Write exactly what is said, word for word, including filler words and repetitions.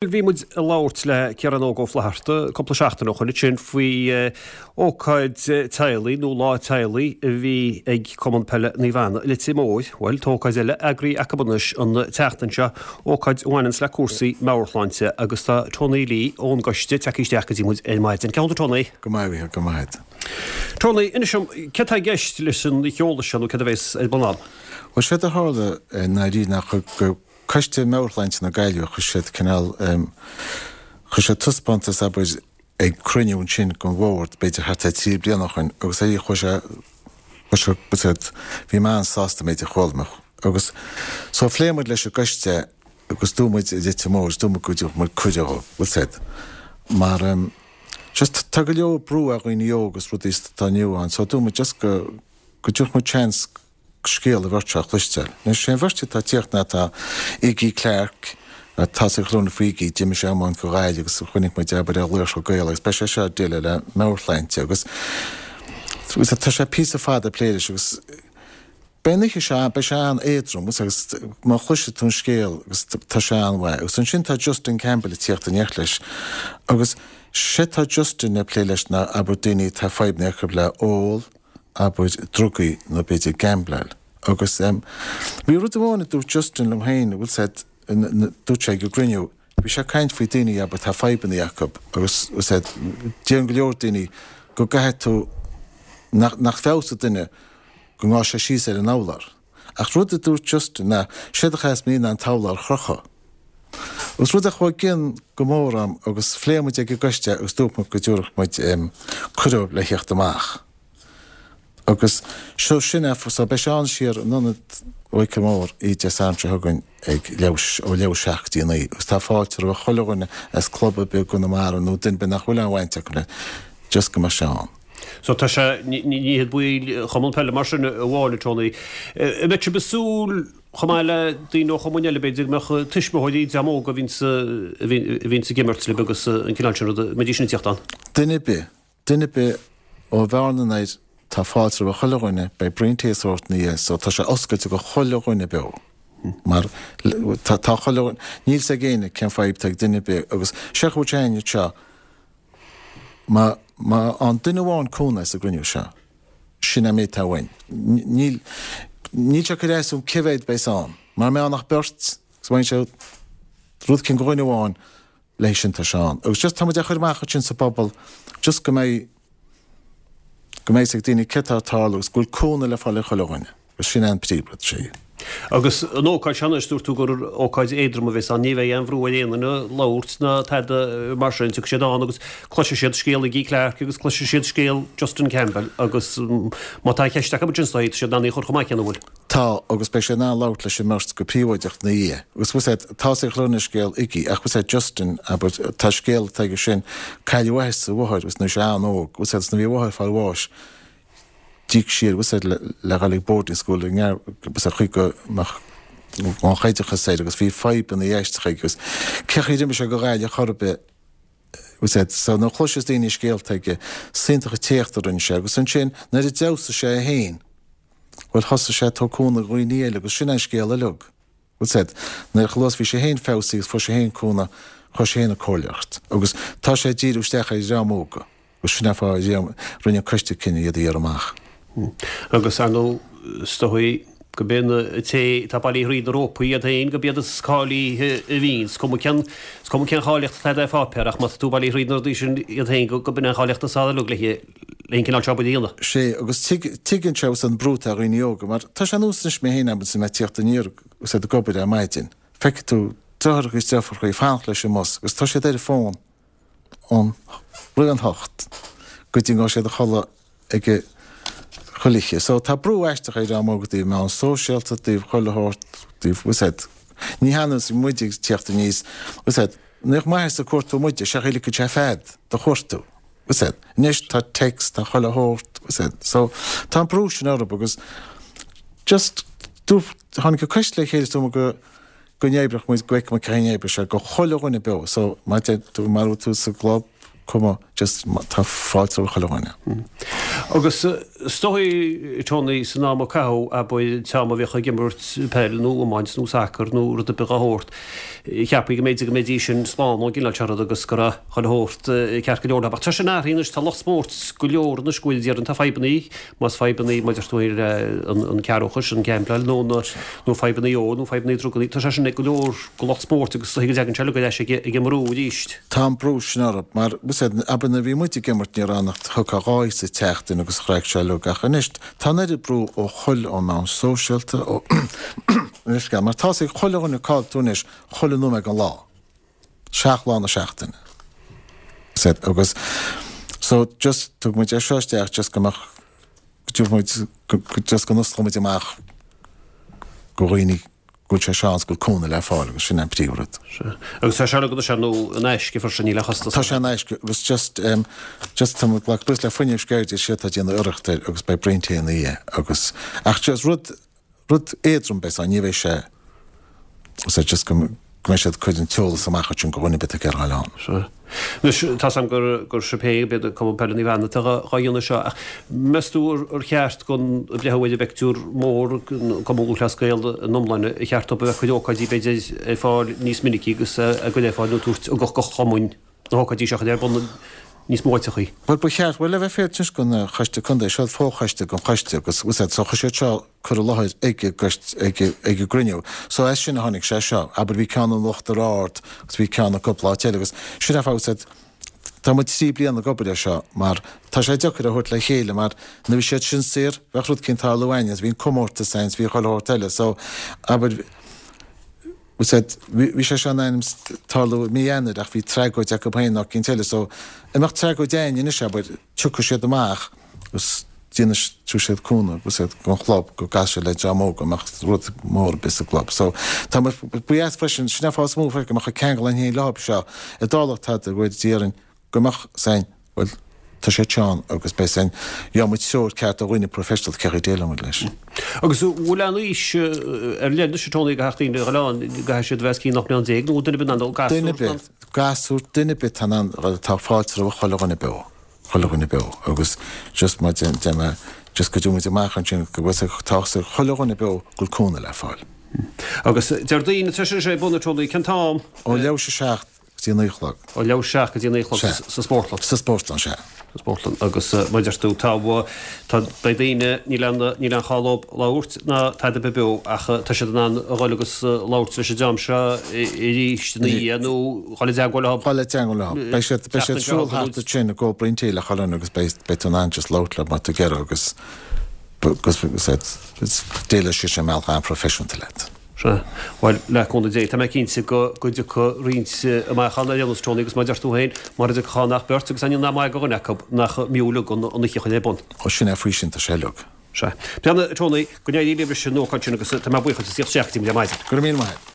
Bhí muid ag labhairt le Ciarán Óg Ó Flatharta cúpla seachtain ó shoin ansin faoi ócáid teaghlaigh nó lá teaghlaigh a bhí ag Cumann Peile Naomh Anna i Leitir Móir. Bhuel, tá ócáid eile eagraithe acu anois an tseachtain seo, ócáid a bhaineanns le cúrsaí meabhairshláinte agus tá Tony Lee ón gcoiste tagtha isteach go dtí muid ar maidin. Cén chaoi a bhfuil tú Tony? Go maith, a Mhícheáil, go maith. Tony, inis dom, céard tá i gceist leis an sheoladh seo nó céard a bheas ar bun ann? Bhuel, séard a tharla i ndáiríre ná go Coiste Meabhairshláinte na Gaillimhe, chuir siad cineál, chuir siad taispeántas, abair, ag cruinniú ansin den bhord, b'fhéidir thart ar trí bliana ó shoin, agus aí chuaigh sé, chuir sé, bhfuil a fhios agat, bhí mé an-sásta méid a chuala mé. Agus so phléigh muid leis an gcoiste agus dúirt muid i Leitir Móir, dúirt muid go dtabharfadh muid cuireadh dhóibh, bhfuil a fhios agat, mar just tá go leor brú ar dhaoine óga agus rudaí sa atá inniu ann, so dúirt muid just go, go dtabharfadh muid seans scéal an bheirt seo a chloisteáil. Anois, sé an bheirt atá ag tíocht ná tá Iggy Clarke, tá a fhios ag chuile dhuine faoi Iggy, d'imir sé iomáint do Ghaillimh agus chonaic muid abair ar Laochra Gael agus beidh sé seo ag déileáil le meabhairshláinte agus tá sé píosa fada ag plé leis agus beidh an oíche seo, beidh sé an-éadrom agus má chloisfidh tú an scéal agus tá sé an-mhaith. Agus ansin tá Justin Campbell ag tíocht in éineacht leis agus sé tá Justin ag plé leis ná abair daoine atá fadhbanna acu le ól, abair, drugaí nó b'fhéidir gambláil. Agus bhí rud amháin a dúirt Justin liom féin, bhfuil a fhios agat, dúirt sé ag an gcruinniú, bhí sé ag caint faoi daoine, abair, tá fadhbanna acu agus, bhfuil a fhios agat, deireann go leor daoine go gcaithfidh tú, nach, nach bhfeabhsóidh duine go ngabhfaidh sé síos ar an urlár. Ach rud a dúirt Justin ná, séard a chaithfeas muid ná an t-urlár a chrochadh. Agus rud a chuaigh i gcion go mór orm agus phléigh muid ag an gcoiste agus dúirt muid go dtabharfadh muid cuireadh le theacht amach. Agus so sin é, so beidh sé ann siar in Ionad Mhichíl Mhóir oíche Dé Sathairn seo chugainn ag leathuair, ó leathuair seacht go dtí a naoi agus tá fáilte roimh chuile dhuine as club ar bith i gConamara nó duine ar bith nach bhfuil aon bhaint acu le, just go mbeidh sé ann. So tá sé, ní hiad baill Chumann Peile mar sin amháin, a Tony. An mbeidh sibh ag súil chomh maith le daoine ó chumainn eile b'fhéidir go mbeadh tuismitheoirí dream óg a bhíonns, a bhíonns ag imirt libh agus an cineál sin ruda, an mbeidís sin ag tíocht ann? Duine ar bith. Duine ar bith ó Bhearna anoir, tá fáilte roimh chuile dhuine, beidh braon tae is sórt ina dhiaidh so tá sé oscailte go chuile dhuine beo mar tá tá chuile dhuine, níl 's ag éinne cén fadhb atá ag duine ar bith agus sé chúirt éinne anseo má má fhaigheann duine amháin cúnamh as an gcruinniú seo, sin an méid atá uainn. Níl níl sé ag cur as dom cé mhéad beas ann, mara mbeidh ann ach beirt agus bhain sé rud eicínt go dhuine amháin, léi sin tá sé ann. Agus just tá muid á chur amach ansin sa bpobal just go mbeidh, go mbeidh 'fhios ag daoine céard tá ag tarlú agus go bhfuil cúnamh le fáil ag chuile dhuine. Agus sin é an príomhrud, sea. Agus an ócáid seo anois, dúirt tú gur ócáid éadrom a bheas ann, ní bheidh aon bhrú ar aon duine labhairt ná tada mar sin, tiocfaidh siad ann agus cloisfidh siad scéal Iggy Clarke agus cloisfidh siad scéal Justin Campbell agus má tá ceist acu ansin tá siad in ann í a chur chomh maith céanna, an bhfuil? Tá, agus beidh sé in ann labhairt leis an mbeirt go príobháideach ina dhiaidh. Agus bhfuil 's a'd, tá 's ag chuile dhuine scéal Iggy, ach bhfuil 's a'd Justin, abair, tá scéal atá aige sin, cailleadh a athair is a mháthair, agus nuair bhí sé an-óg, bhfuil 's a'd, agus nuair bhí a mháthair ag fáil bháis, d'íoc sí air, bhfuil 's a'd, le, le dhul ag boarding school i ngearr, bhfuil 's a'd, chaoi go mbeadh an-oideachas air, agus bhí fadhbanna aisteacha aige, agus cé chaoi ar imigh sé go Gaillimh chor ar bith, bhfuil 's a'd, so nuair a chloiseas daoine scéalta aige, is iontach an t-éacht a rinne sé, agus ansin, nuair a d'fheabhsaigh sé é féin, Bhuel, thosaigh sé ag tabhairt cúnamh do dhaoine eile agus sin é an scéal uilig. Bhfuil 's a'd, nuair a luas bhí sé féin feabhsaithe agus fuair sé féin cúnamh, chuaigh sé féin ag comhairleoireacht. Agus tá sé ag díriú isteach ar dhream óga agus sin é an fáth a rinne an coiste cinneadh iad a iarraidh amach. Agus ar ndóigh, is dóigh go b'é na té atá bailithe thríd na rópaí iad féin, go b'iad is cáilithe a bhíonn. Is cuma cén, is cuma cén cháilíocht atá agat ar pháipéar ach má tá tú bailithe thríd na rudaí sin iad féin go, go b'in é an cháilíocht is fearr uilig le le an cineál seo obair a dhéanamh. Sé, agus tuigeann sé an brú atá ar dhaoine óga, mar tá sé nós anois mé féin agus mé ag tíocht aniar agus ag obair ar maidin, feicfidh tú deartháireacha is deirfiúracha ag fanacht leis an mbus agus tá siad ar an bhfón ón roimh an hocht go dtí go ngabhfaidh siad a chodladh ag a chuile oíche. So tá brú aisteach ar dhream óg i dtaobh meán sóisialta, i dtaobh chuile shórt, i dtaobh, bhfuil 's a'd, ní hionann muid ag tíocht aníos, bhfuil 's a'd, ní bheadh m'athair ag cuartú muide, sé chaoi a ligfeadh sé fead do chuartú. Bhfuil 's a'd. Anois tá text, tá chuile shórt, bhfuil 's a'd. So tá an brú sin orthu agus just do tháinig an coiste le chéile is dóigh go go n-oibreodh muid, go bhfeicfeadh muid cén chaoi a n-oibreoidh sé go chuile dhuine beo. So má deir tú, má raibh tú sa gclub, cuma, just tá fáilte roimh chuile dhuine. Agus is dóigh Tony san am a caitheadh abair an t-am a bhíodh ag imirt peil nó iomáint nó sacar nó rud ar bith dá shórt, cheapfaí go mb'fhéidir go mbeidís sin slán ón gcineál seo rud agus go raibh chuile shórt ceart go leor leo. Ach tá sin athraithe anois, tá lucht spóirt go leor anois go bhfuil déarfainn tá fadhbannaí, más fadhbannaí mar a deir tú le an cearrbhachas, an gambláil nó na nó fadhbannaí óil nó fadhbannaí drugaí, tá sé sin ag go leor go lucht spóirt agus is dóigh go dtagann sé uilig ar ais ag an mbrú arís. Tá an brú sin orthu mar, abair nuair a bhí muid ag imirt ní raibh ann ach thiocfadh dhá sa tseachtain agus chraic sé uilig ach anois tá an oiread brú ó chuile ón meán sóisialta ó anois mar tá's ag chuile dhuine cá bhfuil tú anois chuile nóiméad den lá seacht lá na seachtaine said agus so just thug muid é seo isteach just go mbeadh go dtabharfaidh muid just go n-osclóidh muid amach go dhaoine go bhfuil sé seo ann 's go bhfuil cúnamh le fáil agus sin an príomhrud. Sea. Agus tá sé ar tá sé nó in aisce freisin, níl aon chostas Tá sé in aisce agus just um, just tá muid ag glacadh le Fuinneamh Sceirde is iad atá ag déanamh iarracht air agus beidh braon tae ina dhiaidh agus ach just rud rud éadrom beidh sé ní bheidh sé so just go go mbeidh siad ag cur an t-eolas amach ansin go dhuine ar bith ag iarraidh a fháil ann. Sea. Anois, tá's a'm gur gur sibh féin, b'fhéidir Cumann Peile Naomh Anna atá dhá dhéanamh seo, ach meas tú ar ar cheart don breathnú ar an bpictiúr mór, Cumann Lúthchleas Gael in iomláine, ar cheart dóibh a bheith ag cur ócáidí b'fhéidir ar fáil níos minicí agus a gcur ar fáil nó tabhairt ugach do chumainn na hócáidí seo a chur ar bun níos mó áiteachaí? Bhuel, ba cheart, bhuel, le bheith fair toisc an Choiste Contae, seo fochoiste den choiste agus, bhfuil 's a'd, so chuir siad seo cur i láthair ag an gcoiste, ag, ag an gcruinniú. So as sin a tháinig sé seo. Abair bhí ceann in Uachtar Ard agus bhí ceann i gcúpla áit eile agus sin é fáth, bhfuil 's a'd, tá muid trí bliana ag obair ar seo mar tá sé deacair a thabhairt le chéile mar nuair a bhí siad sin saor bheadh rud eicínt ag tarlú againne agus bhí an comórtas againn is bhí chuile shórt eile so abair bhfuil 's a'd, bhí sé seo in ainm tarlú i mí Eanáir ach bhí tragóid acu féin nó eicínt eile so dá mbeadh tragóid againn anois abair tiocfaidh siad amach agus déanfaidh tabharfaidh siad cúnamh bhfuil 's a'd don chlub go gcasfaidh siad le dream óg go mbeadh rud mór ar bith sa gclub so tá muid ba dheas freisin sin an fáth is mó freisin go mbeadh an ceangal againn féin leo seo dá dtarlódh tada go déarfainn go mbeadh 's a'inn bhuel tá sé ann agus beidh 's a'inn gheobhaidh muid treoir ceart ó dhaoine professional cé chaoi déileáil muid leis. Agus an bhfuil aon aois ar leith anois a Tony do theacht daoine a ghoil ann, go gcaithfidh siad a bheith os cionn ocht mbliana déag nó duine ar bith in ann dul, gasúr Duine ar bith, gasúr, duine ar bith atá in ann, tá fáilte roimh chuile dhuine beo, chuile dhuine beo agus just mar deir mé just go dtabharfaidh muid amach ansin go bhfuil 's tá 's ag chuile dhuine beo go bhfuil cúnamh le fáil. Agus Déardaoin tá sé ar bun a Tony, cén t-am? Ó leathuair tar éis a seacht go dtí a naoi a chlog. Ó leathuair tar éis a seacht go dtí a naoi a chlog sa spórtlann. Sa spórtlann, sea. Sa spórtlann. Agus mar a deir tú, tá, tá, beidh daoine, níl aon, níl aon chall dóibh labhairt ná tada ar bith beo ach tá siad in ann a dhul agus labhairt leis an dream seo arís ina dhiaidh nó dhul i dteagmháil leo. Dhul i dteagmháil leo. Beidh siad, beidh siad ag siúl thart ansin ag ól braon tae le chuile dhuine agus beidh, beidh tú in ann just labhairt leo má tá tú ag iarraidh agus, agus, agus déileoidh siad sin i mbealach an-phroifisiúnta leat. Sea. Bhuel, le cúnamh Dé, tá mé cinnte go dtiocfaidh roinnt amach ann ar aon nós, Tony, agus mar a deir tú féin, mura dtiocfadh ann ach beirt agus ainneoin nach maith do dhuine acu, nach mb'fhiú uilig an oíche a chur ar bun. Ó, sin é, faoi sin tá sé uilig. Sea. Bhuel, Tony, go n-éirí libh leis an ócáid sin agus tá mé buíoch as a theacht isteach go dtí muid ar maidin. Go raibh míle maith agat.